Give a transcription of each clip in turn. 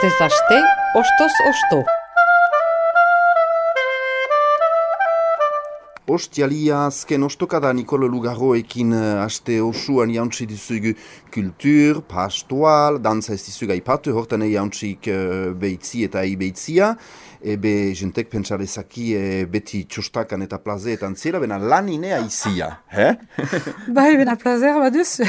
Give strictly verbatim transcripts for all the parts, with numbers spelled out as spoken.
Astez aste, ostoz osto. Ostialia azken ostokada Nikolo Lugarroekin uh, aste osuan jauntsi dizugu kultur, pastoal, dantza ez dizugu aipatu, hortan jauntzik uh, behitzi eta beheitzia. Ebe jentek pentsarezaki e, beti txostakan eta plazeetan zela, bena lan inea izia, he? Bai, bena plazer baduzu.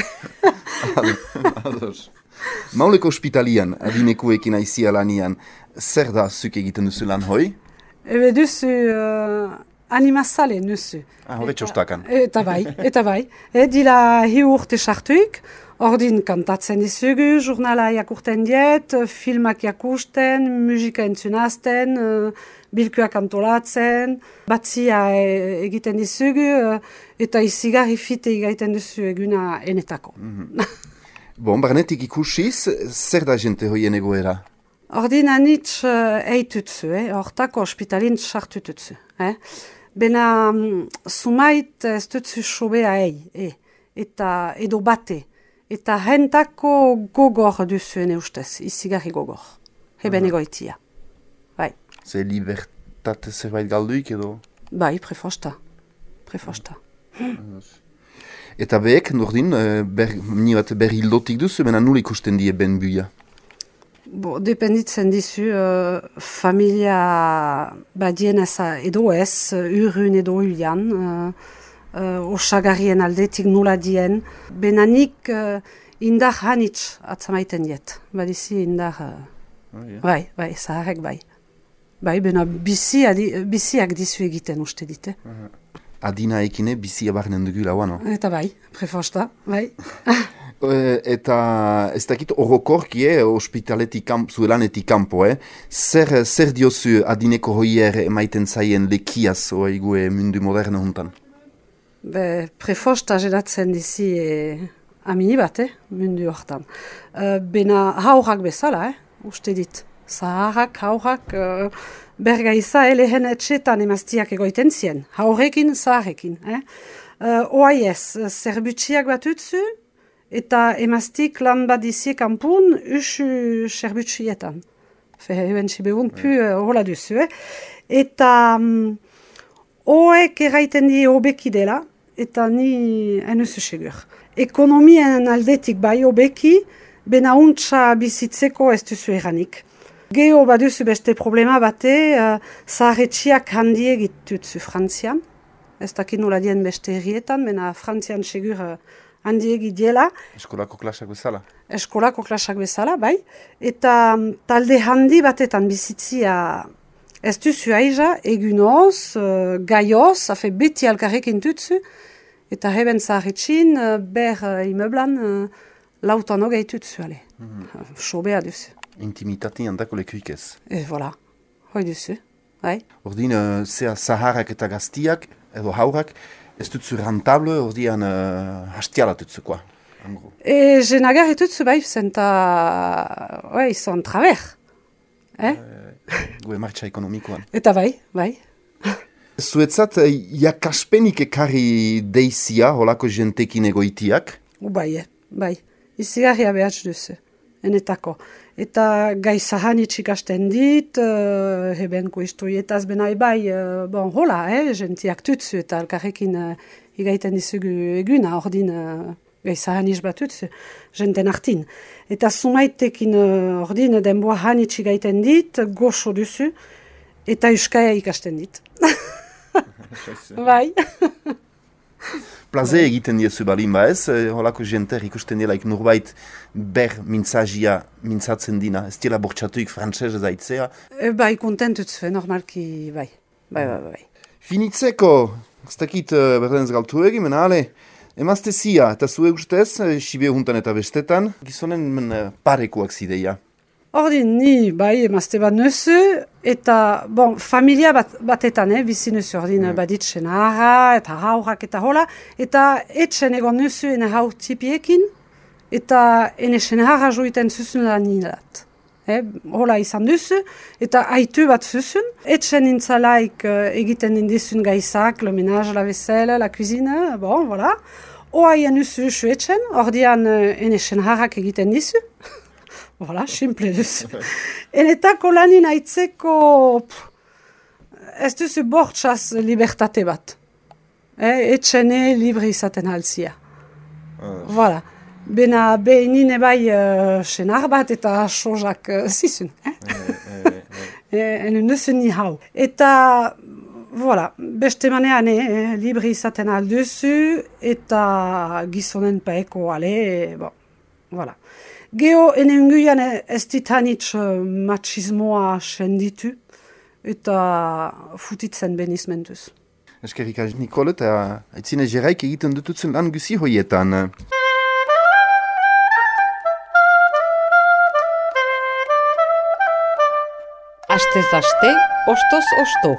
Mauleko ospitalian, adinekuekin aizia lanian, zer da zuk egiten duzu lan hoi? Ebe duzu uh, animazale nuzu. Ah, hori txostakan. Eta bai, eta bai. E, dila hi urte sartuik, ordin kantatzen dizugu, jurnala jakurten diet, filmak jakusten, musika entzunazten, uh, bilkuak antolatzen, batzia e, egiten dizugu, uh, eta izigarri fite egiten duzu eguna enetako. Mm-hmm. Bon, barnetik ikusiz, zer da jente hoien egoera? Ordin anitz uh, eitutzu, eh? Hortako ospitalin sartututzu. Eh? Bena um, sumait ez dutzu sobea ei, eh? Eta edo bate. Eta hentako gogor duzuen ustez, izigarri gogor. Heben egoitia. Bai. Ze libertate zerbait galduik edo? Bai, prefosta. Prefosta. Eta behek, nordin, ber, ni bat berri hildotik duzu, bena nul ikusten die ben buia? Bo, dependitzen dizu, uh, familia badien eza edo ez, urrun edo ulian, uh, uh, osagarrien aldetik nula dien. Benanik uh, indar hanitz atzamaiten diet. Badizi indar, uh, oh, yeah. bai, bai, zaharek bai. Bai, bena bizi adi, biziak dizu egiten uste dite. Uh-huh. Adina ekine bizia barnen dugula, no? Eta bai, prefosta, bai. Eta ez dakit orokorki, eh, ospitaletik kamp, zuelanetik kanpo, eh? Zer, zer diozu adineko hoier emaiten zaien lekiaz oigue mundu moderno hontan? Be, prefosta geratzen dizi e, amini bat, eh, mundu hortan. Uh, bena haurak bezala, eh, uste dit. Zaharrak, haurak, uh, bergaiza elehen etxetan emaztiak egoiten zien. Haurekin, zaharrekin. Eh? Uh, Oai ez, zerbutxiak bat utzu, eta emaztik lan bat dizie kampun, usu zerbutxietan. Fe, eben txibehun pu hola duzu, eh? Eta um, oek erraiten die obeki dela, eta ni enuzu segur. Ekonomien aldetik bai obeki, bena untsa bizitzeko ez duzu eranik. Geho baduzu beste problema bate, uh, zaharretxiak handiek itutzu Frantzian. Ez dakit nola dien beste herrietan, mena Frantzian segur uh, handiek idiela. Eskolako klasak bezala? Eskolako klasak bezala, bai. Eta um, talde handi batetan bizitzia ez duzu aiza, egunoz, uh, gaioz, hafe beti alkarrekin tutzu. Eta heben zaharretxin, uh, ber uh, imeblan, uh, lautan hogei tutzu, ale. Mm-hmm. uh, Sobea duzu. Intimitatean dako lekuik ez. E, voilà. Hoi duzu, bai. Ordin, uh, zea zaharrak eta gaztiak, edo haurak, ez dutzu rentable, ordian uh, hastiala tutzukoa. E, jenagar etutzu bai, zenta, oi, son traver. Eh? E, gue martxa ekonomikoan. Eta bai, bai. Zuetzat, jakaspenik ekarri deizia, holako jentekin egoitiak? U bai, bai. Izigarria behatz duzu. Enetako. Eta gai zahanitz ikasten dit, uh, hebenko historietaz benai bai, uh, bon, hola, eh, jentiak tutzu eta alkarrekin uh, igaiten dizugu eguna, ordin uh, gai zahanitz bat tutzu, jenten artin. Eta sumaitekin uh, ordin denboa hanitz igaiten dit, goxo duzu, eta euskaia ikasten dit. Bai. Plaze egiten diezu balin ba ez, holako jenter ikusten delaik nurbait ber mintzazia mintzatzen dina, ez dira bortxatuik frantzez zaitzea. E, bai, kontentutzu, normalki, bai, bai, bai, bai. Finitzeko, ez dakit uh, berdenez galtu egin, mena ale, emaztezia, eta zue ustez, sibe juntan eta bestetan, gizonen men, uh, parekoak zideia. Ordin, ni, bai, emazte bat nuzu, eta, bon, familia bat, batetan, eh, bizi nuzu, ordin, mm. baditzen harra, eta haurak, eta hola, eta etxen egon nuzu ene hau tipiekin, eta ene sen harra joiten zuzun lan nilat. Eh, hola izan duzu, eta aitu bat zuzun, etxen intzalaik uh, egiten indizun gaizak, le ménage, la vaisselle, la cuisine, bon, voilà. Oaien nuzu usu etxen, ordian uh, ene sen harrak egiten dizu. Voilà, simple duz. Enetako lanin aitzeko, pff, ez duzu bortxaz libertate bat. Eh, etxene libre izaten halzia. Ah. Voilà. Bena behinine bai uh, senar bat eta sozak uh, zizun. Eh? Enen duzu ni hau. Eta, voilà, beste manean eh, libre izaten alduzu eta gizonen paeko ale, eh, bon, voilà. Geo enenguian ez ditanitz uh, machismoa senditu eta futitzen benizmentuz. Eskerrik asko Nikol, eta aitzine jeraik egiten dututzen lan guzi hoietan. Astez aste, ostoz osto.